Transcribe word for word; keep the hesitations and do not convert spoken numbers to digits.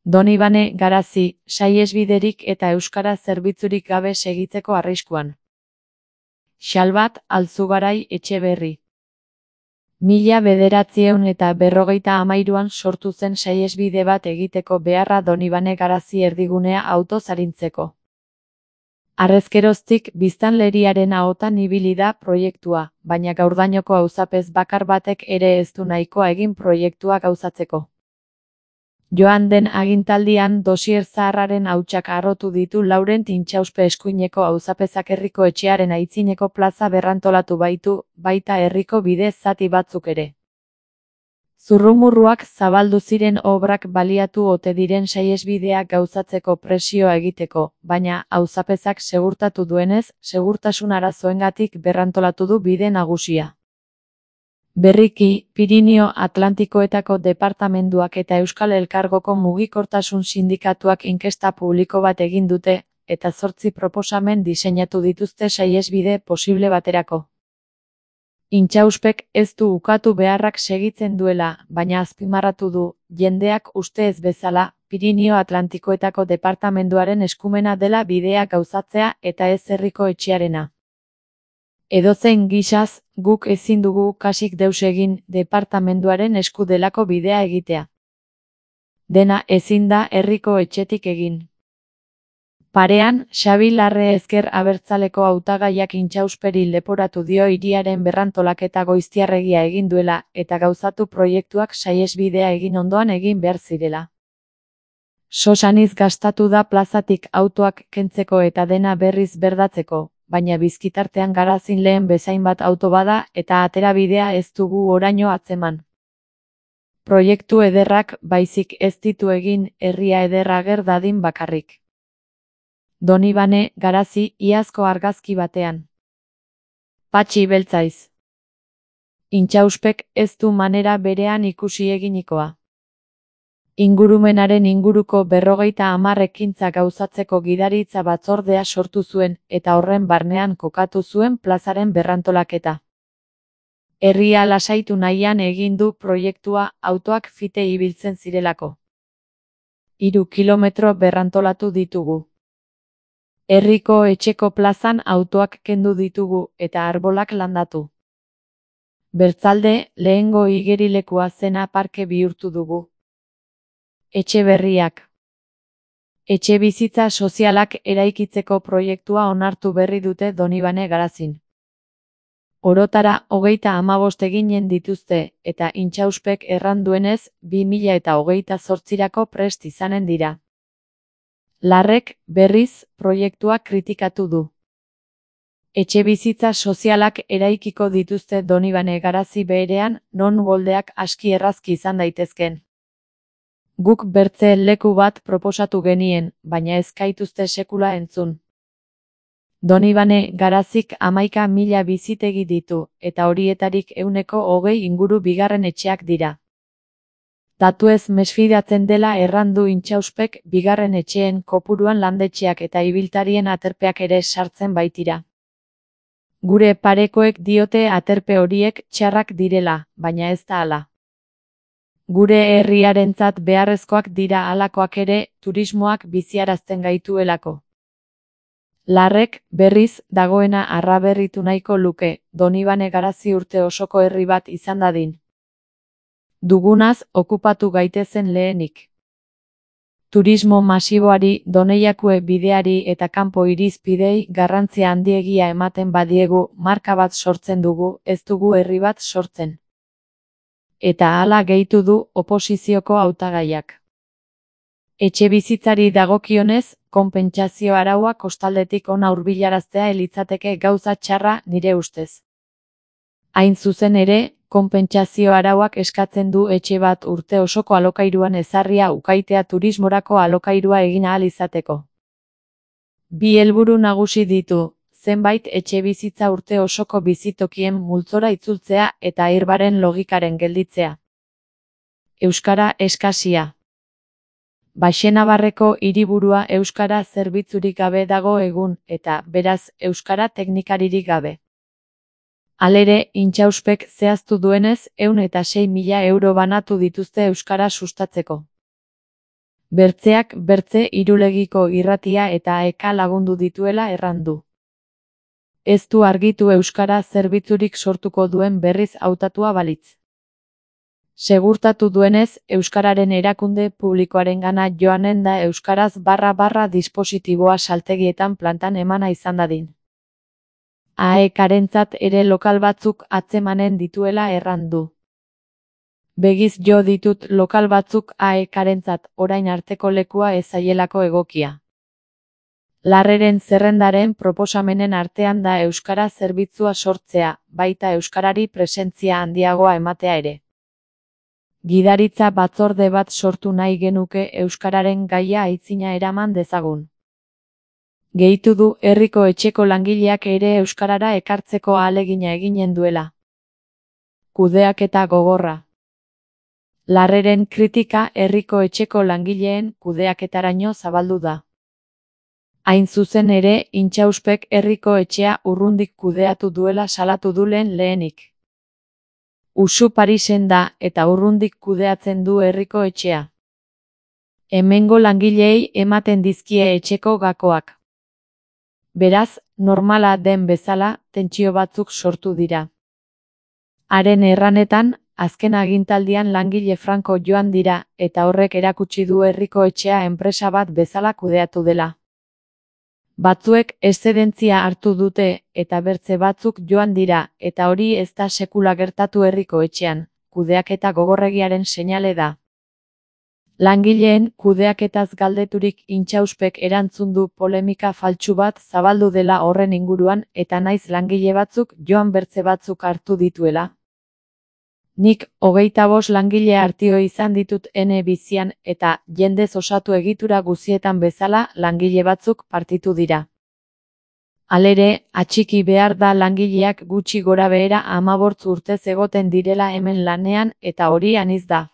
Donibane Garazi, saihesbiderik eta euskara zerbitzurik gabe segitzeko arriskuan. Xalbat Alzugarai Etxeberri. Mila bederatziehun eta berrogeita hamairuan sortu zen saihesbide bat egiteko beharra Donibane Garazi erdigunea autoz arintzeko. Harrezkeroztik biztanleriaren ahotan ibili da proiektua, baina gaurdainoko auzapez bakar batek ere ez du nahikoa egin proiektua gauzatzeko. Joan den agintaldian dosier zaharraren hautsak harrotu ditu Laurent Intxauspe eskuineko auzapezak herriko etxearen aitzineko plaza berrantolatu baitu, baita herriko bide zati batzuk ere. Zurrumurruak zabaldu ziren obrak baliatu ote diren saihesbidea gauzatzeko presioa egiteko, baina auzapezak segurtatu duenez, segurtasun arazoengatik berrantolatu du bide nagusia. Berriki, Pirinio Atlantikoetako departamenduak eta Euskal Elkargoko mugikortasun sindikatuak inkesta publiko bat egin dute, eta zortzi proposamen diseinatu dituzte saihesbide posible baterako. Intxauspek ez du ukatu beharrak segitzen duela, baina azpimarratu du, jendeak uste ez bezala, Pirinio Atlantikoetako departamenduaren eskumena dela bidea gauzatzea eta ez herriko etxearena. Edozein gisaz, guk ezin dugu kasik deus egin departamenduaren esku delako bidea egitea. Dena ezin da herriko etxetik egin. Parean, Xabi Larre ezker abertzaleko hautagaiak Intxausperi leporatu dio hiriaren berrantolaketa goiztiarregia egin duela eta gauzatu proiektuak saihesbidea egin ondoan egin behar zirela. Sosaniz gastatu da plazatik autoak kentzeko eta dena berriz berdatzeko, baina bizkitartean Garazin lehen bezain bat auto bada eta aterabidea ez dugu oraino atzeman. Proiektu ederrak baizik ez ditu egin herria ederra ager dadin bakarrik. Donibane Garazi iazko argazki batean. Patxi beltzaiz. Intxauspek ez du manera berean ikusi eginikoa. Ingurumenaren inguruko berrogeita hamar ekintza gauzatzeko gidaritza batzordea sortu zuen eta horren barnean kokatu zuen plazaren berrantolaketa. Herria lasaitu nahian egin du proiektua autoak fite ibiltzen zirelako. Hiru kilometro berrantolatu ditugu. Herriko etxeko plazan autoak kendu ditugu eta arbolak landatu. Bertzalde, lehengo igerilekua zena parke bihurtu dugu. Etxe berriak. Etxe bizitza sozialak eraikitzeko proiektua onartu berri dute Donibane Garazin. Orotara hogeita hamabost eginen dituzte eta Intxauspek erran duenez bi mila eta hogeita zortzirako prest izanen dira. Larrek, berriz, proiektua kritikatu du. Etxe bizitza sozialak eraikiko dituzte Donibane Garazi beherean, non goldeak aski errazki izan daitezken. Guk bertze leku bat proposatu genien, baina ez gaituzte sekula entzun. Donibane Garazik hamaika mila bizitegi ditu, eta horietarik ehuneko hogei inguru bigarren etxeak dira. Datuez mesfidatzen dela errandu Intxauspek bigarren etxeen kopuruan landetxeak eta ibiltarien aterpeak ere sartzen baitira. Gure parekoek diote aterpe horiek txarrak direla, baina ez da hala. Gure herriarentzat beharrezkoak dira halakoak ere, turismoak biziarazten gaituelako. Larrek, berriz, dagoena arraberritu nahiko luke, Donibane Garazi urte osoko herri bat izan dadin. Dugunaz, okupatu gaitezen lehenik. Turismo masiboari, Doneiakue bideari eta kanpo irizpidei garrantzia handiegia ematen badiegu, marka bat sortzen dugu, ez dugu herri bat sortzen. Eta hala gehitu du oposizioko hautagaiak. Etxe bizitzari dagokionez, konpentsazio araua kostaldetik ona hurbilaraztea litzateke gauza txarra nire ustez. Hain zuzen ere, konpentsazio arauak eskatzen du etxe bat urte osoko alokairuan ezarria ukaitea turismorako alokairua egin ahal izateko. Bi helburu nagusi ditu, zenbait etxe bizitza urte osoko bizitokien multzora itzultzea eta airbaren logikaren gelditzea. Euskara eskasia. Baxenabarreko hiriburua euskara zerbitzurik gabe dago egun, eta, beraz, euskara teknikaririk gabe. Halere, Intxauspek zehaztu duenez, ehun eta sei mila euro banatu dituzte euskara sustatzeko. Bertzeak bertze Irulegiko irratia eta eka lagundu dituela errandu. Ez du argitu euskara zerbitzurik sortuko duen berriz hautatua balitz. Segurtatu duenez, euskararen erakunde publikoarengana joanen da euskaraz barra barra dispositiboa saltegietan plantan emana izan dadin. Aekarentzat ere lokal batzuk atzemanen dituela errandu. Begiz jo ditut lokal batzuk aekarentzat orain arteko lekua ez zaielako egokia. Larreren zerrendaren proposamenen artean da euskara zerbitzua sortzea, baita euskarari presentzia handiagoa ematea ere. Gidaritza batzorde bat sortu nahi genuke euskararen gaia aitzina eraman dezagun. Gehitu du herriko etxeko langileak ere euskarara ekartzeko ahalegina eginen duela. Kudeaketa gogorra. Larreren kritika herriko etxeko langileen kudeaketaraino zabaldu da. Hain zuzen ere, Intxauspek herriko etxea urrundik kudeatu duela salatu du lehen lehenik. Usu Parisen da eta urrundik kudeatzen du herriko etxea. Hemengo langileei ematen dizkie etxeko gakoak. Beraz, normala den bezala, tentsio batzuk sortu dira. Haren erranetan, azken agintaldian langile franko joan dira, eta horrek erakutsi du herriko etxea enpresa bat bezala kudeatu dela. Batzuek eszedentzia hartu dute, eta bertze batzuk joan dira, eta hori ez da sekula gertatu herriko etxean, kudeaketa gogorregiaren seinale da. Langileen kudeaketaz galdeturik Intxauspek erantzun du polemika faltsu bat zabaldu dela horren inguruan eta naiz langile batzuk joan bertze batzuk hartu dituela. Nik hogeita bost langile hartio izan ditut ene bizian eta jendez osatu egitura guzietan bezala langile batzuk partitu dira. Halere, atxiki behar da langileak gutxi gorabehera hamabost urtez egoten direla hemen lanean eta hori anitz da.